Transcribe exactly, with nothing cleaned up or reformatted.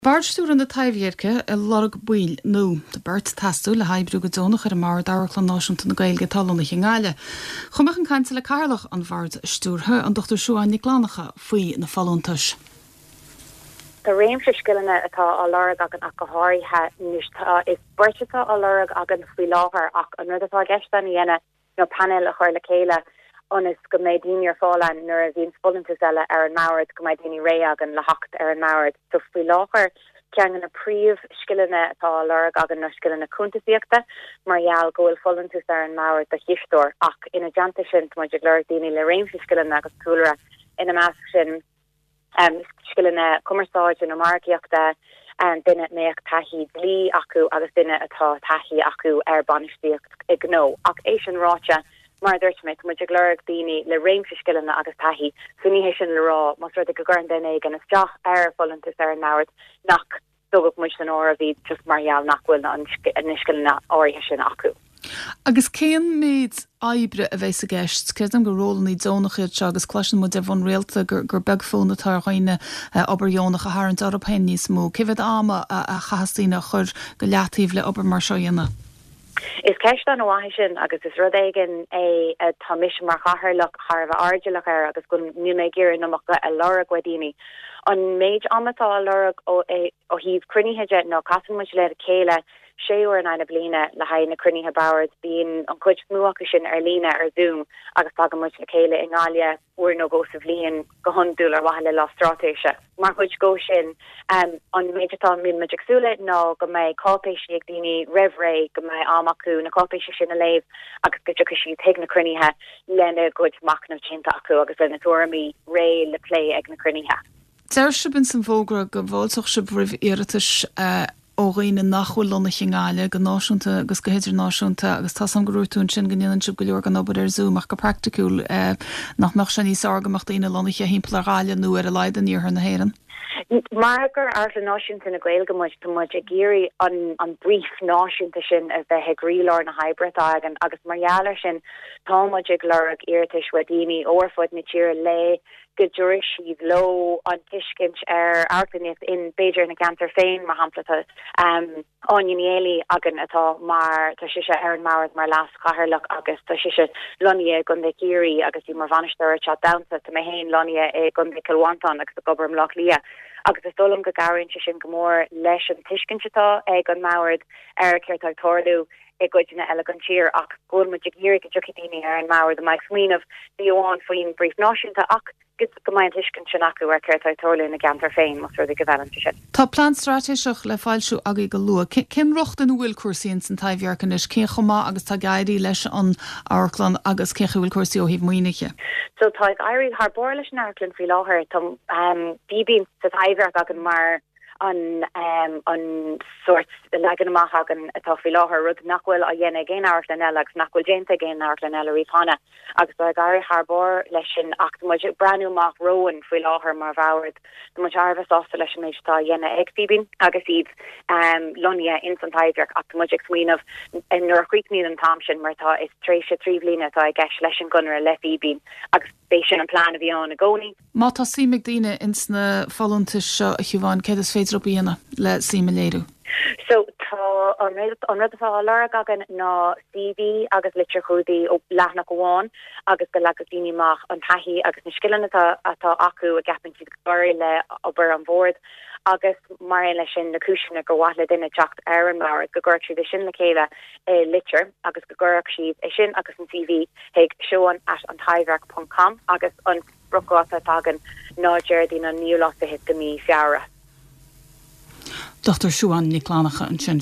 Bord Stiúrtha na Taibhdheirce ag lorg baill nua. Tá beirt ag teastáil le hoibriú go deonach ar an mbord Amharclann Náisiúnta na Gaeilge atá lonnaithe i nGaillimh. Chuaigh mé chun cainte le cathaoirleach an Bhoird Stiúrtha an Dochtúir Siubhán Nic Fhlannchadha faoi na folúntais. Tá réimse scileanna atá á lorg againn ach go háirithe tá is beirt atá á lorg againn faoi láthair ach an rud atá i gceist a dhéanamh nó panel a chur le chéile ionas go mbeidh daoine ar fáil nuair a bhíonn folúntas eile ar an mbord go mbeidh daoine réidh againn le theacht ar an mbord. So faoi láthair ceann de na príomhscileanna atá á lorg againn na scileanna cuntasaíochta mar gheall go bhfuil folúntas ar an mbord do chisteoir ach ina theannta sin muid ag lorg daoine le réimse scileanna agus cúlra ina measc sin um, scileanna cumarsáide nó margaíochta um, duine a mbeadh taithí dlí acu agus duine atá taithí acu ar bainistíocht i gnó ach é sin ráite mar dúirt mé muid ag lorg daoine le réimse scileanna agus taithí so ní hé sin le rá más rud go gcuireann duine éigin isteach ar folúntas ar an mbord nach dtógfaidh muid san áireamh iad just mar gheall nach bhfuil na scileanna áirithe sin acu. Agus cén méid oibre a bheas i gceist, Creidim gur rólanna deonacha iad seo agus cloiseann muid ar bhonn rialta gur gur beag fonn atá ar dhaoine obair dheonach a tharraingt orthu féin níos mó. Cé mhéad ama a chaithfeas daoine a chur go leataobh le obair mar seo a dhéanamh. Is ceist an-mhaith sin agus is rud éigin é tá mise mar chathaoirleach thar a bheith airdeallach air agus go ní mé gur namach a lorg ó dhaoine. An méid ama atá á lorg ó ó thaobh cruinnithe de nó casann muid le chéile sé huaire in aghaidh na bliana le haghaidh na cruinnithe boird bíonn an chuid is mó acu sin ar líne ar Zoom agus tagann muid le chéile i nGaillimh uair nó dhó sa bhliain go hiondúil ar mhaithe le lá straitéise. Mar chuid de sin um, an méid atá muid ag súil ná go mbeidh cáipéisí ag daoine roimh ré go mbeidh am acu na cáipéisí sin a léamh agus go dtiocfaidh siad chuig na cruinnithe lena gcuid machnamh déanta acu agus lena dtuairimí réidh le plé ag na cruinnithe. Deir sibh in san bhfógra go bhfáilteodh sibh roimh iarratais uh, ó dhaoine nach bhfuil lonnaithe i nGaillimh go náisiúnta agus go hidirnáisiúnta agus tá an grútún sin go ndéanann sibh go leor den obair ar Zoom ach go praiticiúil eh, nach mbeadh sé níos fearr go mbeadh daoine lonnaithe thimpeall ar Ghaillimh nó ar a laghad in iarthar na hÉireann. Mar gur Amharclann Náisiúnta na Gaeilge muid tá muid ag iarraidh an an brief náisiúnta sin a bheith ag croílár na hoibre atá againn agus mar gheall air sin tá muid ag lorg iarratais ó dhaoine ó ar fud na tíre le go dtabharfaidh siad leo an tuiscint ar amharclannaíocht in b'fhéidir na ceantar féin mar shampla um, Áine Ní Éalaí againn atá mar tá sise ar an mbord mar leas-chathaoirleach agus tá sise lonnaithe i gContae Chiarraí agus í mar bhainisteoir Teach Damhsa tá mé féin lonnaithe i gContae Chill Mhantáin agus ag obair i mBaile Átha Cliath. agus is dóigh liom go gcabhraíonn sé sin go mór leis an tuiscint atá ag an mbord ar céard atá ag tarlú i gcodanna eile den tír ach go bhfuil muid ag iarraidh go dtiocfaidh daoine ar an mbord a mbeidh smaoineamh ní amháin faoin brief náisiúnta ach go mbeidh an tuiscint sin acu ar céard atá ag tarlú ina gceantar féin más rud go bhfeileann sin. Tá plean straitéiseach le foilsiú agaibh go luath. Cén riocht ina bhfuil cúrsaí in san Taibhdhearc anois cén chomh maith agus tá ag éirí leis an amharclann agus cén bhfuil cúrsaí ó thaobh maoinithe. So tá ag éirí thar barr leis an amharclann faoi láthair tá um, Fíbín sa Taibhdhearc againn mar an um, an sórt leagan amach againn atá faoi láthair rud nach bhfuil á dhéanamh ag aon amharclann eile agus nach bhfuil déanta ag aon amharclann eile riamh cheana agus tá ag éirí thar barr leis sin ach muid breathnú amach romhainn faoi láthair mar bhord muid thar a bheith sásta leis an méid atá á dhéanamh ag Fíbín agus iad um, lonnaithe in san Taibhdhearc ach muid ag smaoineamh nuair a chríochnaíonn an t-am sin mar tá is tréimhse trí bliana atá i gceist leis an gconradh le Fíbín agus b'é sin an plean a bhí ann i gcónaí. Má tá suim ag daoine ins na folúntais seo a Shiobhán céard is féidir leo a dhéanamh le suim a léiriú. So tá an rud an rud atá á lorg againn ná C V agus litir chumhdaigh ó leathanach amháin agus go leagfadh daoine amach an taithí agus na scileanna atá atá acu a gceapann siad go le obair an bhoird agus mar aon leis sin na cúiseanna gur mhaith le duine teacht ar an mbord go gcuirfeadh siad sin le chéile i litir agus go gcuirfeadh siad é sin agus an C V chuig siobhan at an taibhdhearc dot com agus an spriocdháta atá againn ná Déardaoin an naoú lá fichead de mhí Feabhra. Dochtúir Siubhán Nic Fhlannchadha ansin.